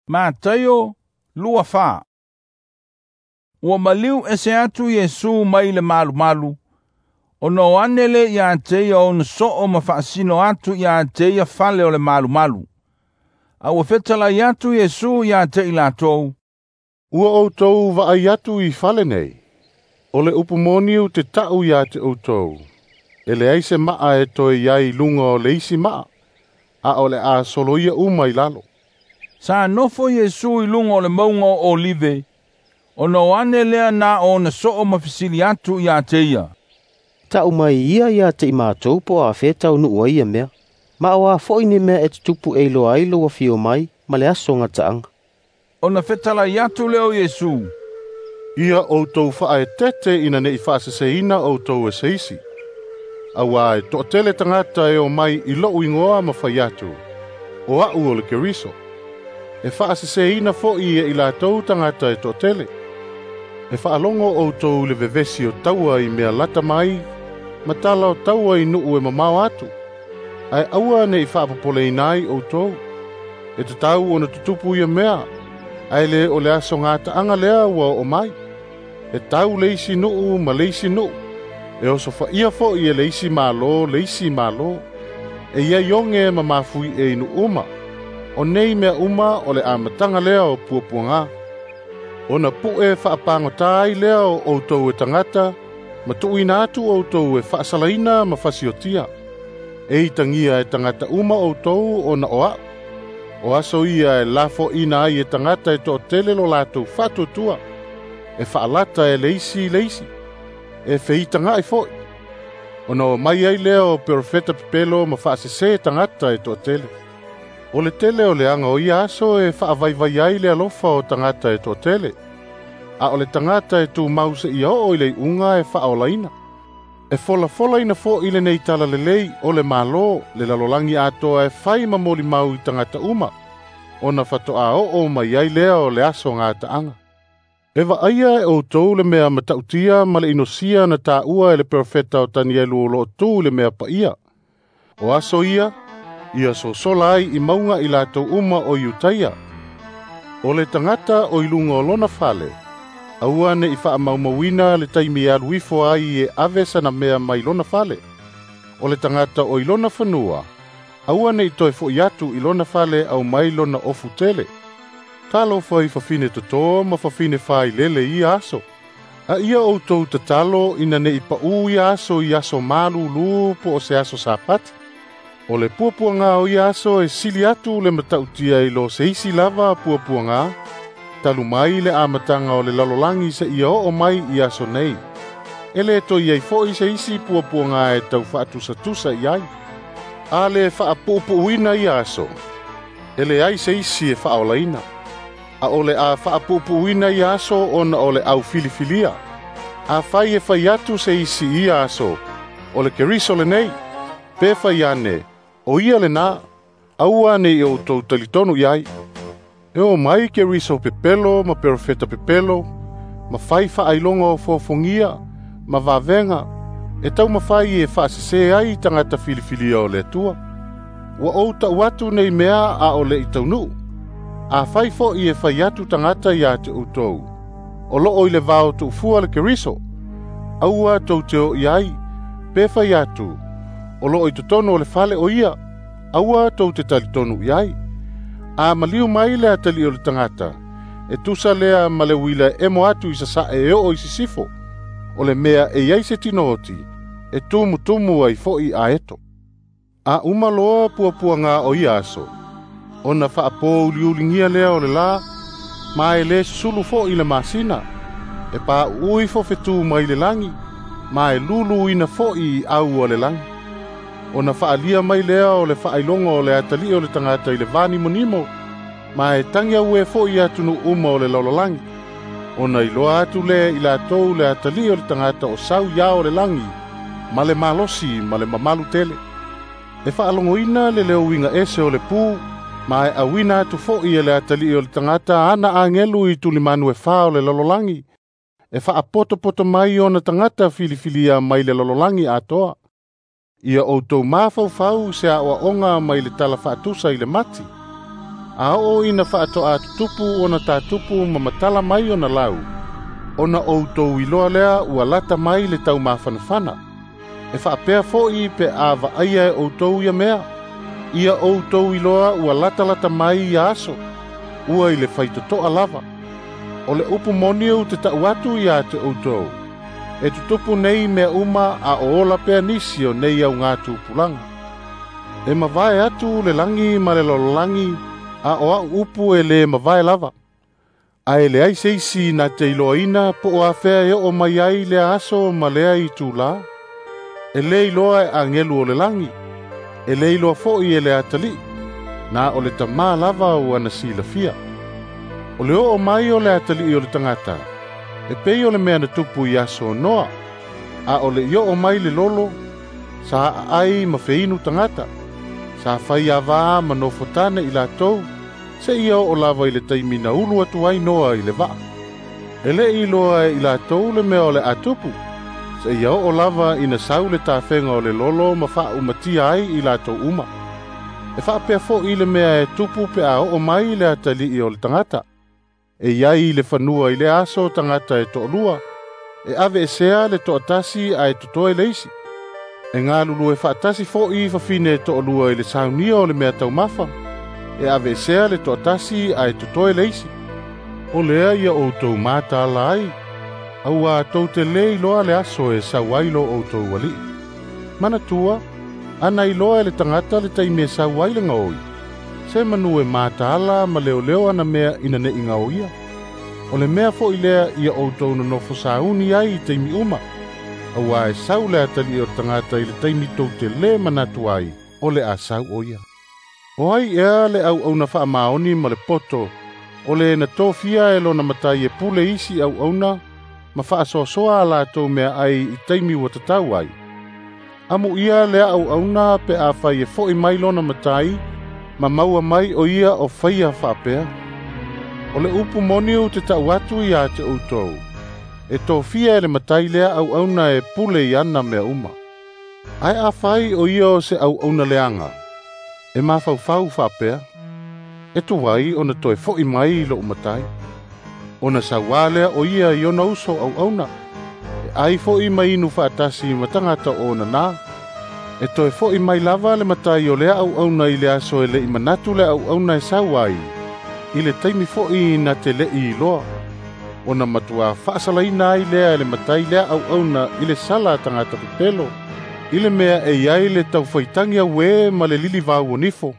Mataio 24. Ua maliu ese atu Iesu mai le malumalu, ona o ane le ia te ia ona soo ma faasino atu ia te ia fale o le malumalu. A ua fetalai atu Iesu ia te i latou, "Ua outou vaai atu i fale nei. O le upu moni ou te ta'u ia te outou, e leai se maa e toe i ai i luga o le isi maa, a o le a soloia uma i lalo." Sa nofo Iesu i luga o le mauga o Olive, ona o ane lea na ona soo ma fesili atu ia te ia, "Ta'u mai ia ia te i matou po o afea e taunuu ai ia mea, ma o a foi ni mea e tutupu e iloa ai lou afio mai ma le aso gataaga." Ona fetalai atu lea o Iesu, "Ia outou faaeteete ina ne'i faaseseina outou e se isi. Auā e toatele tagata e omai i lo'u igoa ma fai atu, ‘O a'u o le Keriso.’ E faaseseina fo'i e i latou tagata e toatele. E faalogo outou i le vevesi o taua i mea lata mai, ma tala o taua i nuu e mamao atu. Ae aua ne'i faapopoleina ai outou. E tatau ona tutupu ia mea, ae lē o le aso gataaga lea ua oo mai. E tau le isi nuu ma le isi nuu, e osofaia fo'i e le isi malo le isi malo. E iai oge ma mafuie i nuu uma. O nei mea uma o le amataga lea o puapuagā. Ona pu'e faapagotā ai lea o outou e tagata, ma tuuina atu outou e faasalaina ma fasiotia. E itagia e tagata uma outou ona o a'u. O aso ia e lafo'ina ai e tagata e toatele lo latou faatuatua, e faalata e le isi i le isi, e feitaga'i fo'i. Ona omai ai lea o perofeta pepelo ma faasesē tagata e toatele. O le tele o le aga o ia aso e faavaivai ai le alofa o tagata e toatele, a o le tagata e tumau seia oo i le iuga e faaolaina. E folafolaina fo'i lenei talalelei o le Malo le lalolagi atoa e fai ma molimau i tagata uma, ona fato'a oo mai ai lea o le aso gataaga. E vaaia e outou le mea matautia ma le inosia na taua e le perofeta o Tanielu o loo tu i le mea paia. O aso ia, ia sosola ai i mauga i latou uma o Iutaia. O le tagata o i luga o lona fale, aua ne'i faamaumauina le taimi e alu ifo ai e ave sana mea mai lona fale. O le tagata o i lona fanua, aua ne'i toe fo'i atu i lona fale aumai lona ofu tele. Talofa i fafine totō ma fafine failele i ia aso. A ia outou tatalo ina ne'i paʻū ia aso i aso malūlū po o se aso Sapati. O le puapuagā o ia aso e sili atu le matautia i lo se isi lava puapuagā, talu mai le amataga o le lalolagi seia oo mai i aso nei. E lē toe i ai fo'i se isi puapuagā e tau faatusatusa i ai. A lē faapuupuuina ia aso, e leai se isi e faaolaina. A o le a faapuupuuina ia aso ona o le aufilifilia. Afai e fai atu se isi i ia aso, ‘O le Keriso lenei,’ pe fai ane, ‘O ia lenā,’ aua ne i outou talitonu i ai. E omai Keriso pepelo ma perofeta pepelo, ma fai faailoga o fofogia, ma vavega, e taumafai e faasesē ai tagata filifilia o le Atua. Ua ou ta'u atu nei mea a o le'i taunuu. Afai fo'i e fai atu tagata ia te outou, ‘O loo i le vao tuufua le Keriso,’ aua tou te o i ai, pe fai atu, ‘O loo i totonu o le fale o ia,’ aua tou te talitonu i ai. A maliu mai le atalii o le tagata, e tusa lea ma le uila e emo atu i sasa'e e oo i sisifo. O le mea e i ai se tinooti, e tumutumu ai fo'i aeto. A uma loa puapuagā o ia aso, ona faapōuliuligia lea o le lā, ma e lē susulu fo'i le masina, e paʻuʻu ifo fetū mai le lagi, ma e luluina fo'i i au o le lagi. Ona faaalia mai lea o le faailoga o le atalii o le tagata i le vanimonimo, ma e tagi auē fo'i atunuu uma o le lalolagi. Ona iloa atu lea i latou le atalii o le tagata o sau i ao o le lagi, ma le malosi ma le mamalu tele. E faalogoina le leo uiga ese o le pū, ma e auina atu fo'i e le atalii o le tagata ana agelu i tulimanu e fā o le lalolagi, e faapotopoto mai ona tagata filifilia mai le lalolagi atoa. Ia outou mafaufau i se aoaoga mai le tala faatusa i le mati. A oo ina faatoa tutupu ona tatupu ma matala mai ona lau, ona outou iloa lea ua lata mai le taumafanafana. E faapea fo'i pe a vaaia e outou ia mea, ia outou iloa ua latalata mai ia aso, ua i le faitotoa lava. O le upu moni ou te ta'u atu ia te outou, e tutupu nei mea uma a o ola pea nisi o nei augatupulaga. E mavae atu le lagi ma le lalolagi, a o a'u upu e lē mavae lava. Ae leai se isi na te iloaina po o afea e oo mai ai lea aso ma lea itulā. E lē iloa e agelu o le lagi, e lē iloa fo'i e le atalii, na o le Tamā lava ua na silafia. O le oo mai o le atalii o le tagata, e pei o le mea na tupu i aso o Noa, a o le i oo mai le lolo, sa aai ma feinu tagata, sa fai avā ma nofotane i latou, seia oo lava i le taimi na ulu atu ai Noa i le vaa. E lē iloa e i latou le mea o le a tupu, seia oo lava ina sau le tafega o le lolo ma faaumatia ai i latou uma. E faapea fo'i le mea e tupu pe a oo mai le atalii o le tagata. E iai i le fanua i le aso tagata e to'alua, e aveesea le to'atasi ae totoe le isi. E galulue faatasi fo'i fafine e to'alua i le saunia o le mea taumafa, e aveesea le to'atasi ae totoe le isi. O lea ia outou mataala ai, auā tou te lē iloa le aso e sau ai lo outou alii. Manatua, ana iloa e le tagata le taimi e sau ai le gaoi, se manu e mataala ma leoleo ana mea ina ne'i gaoia. O le mea fo'i lea ia outou nonofo sauni ai i taimi uma, auā e sau le atalii o le tagata i le taimi tou te lē manatu ai o le a sau o ia. O ai ea le auauna faamaoni ma le poto, o le na tofia e lona matai e pule isi auauna ma faasoasoa a latou mea ai i taimi ua tatau ai. Amuia lea auauna pe a fai e fo'i mai lona matai, ma maua mai o ia o faia faapea. O le upu moni ou te ta'u atu ia te outou, e tofia e le matai lea auauna e pule i ana mea uma. Ae afai o ia o se auauna leaga, e mafaufau faapea, e tuai ona toe fo'i mai i lo'u matai. Ona sauā lea o ia i ona uso auauna, e ai fo'i ma inu faatasi ma tagata o ona nā. E toe fo'i mai lava le matai o lea auauna i le aso e le'i manatu le auauna e sau ai, i le taimi fo'i na te le'i iloa. Ona matuā faasalaina ai lea e le matai lea auauna i le sala a tagata pepelo, i le mea e iai le taufaitagi auē ma le lilivau o nifo.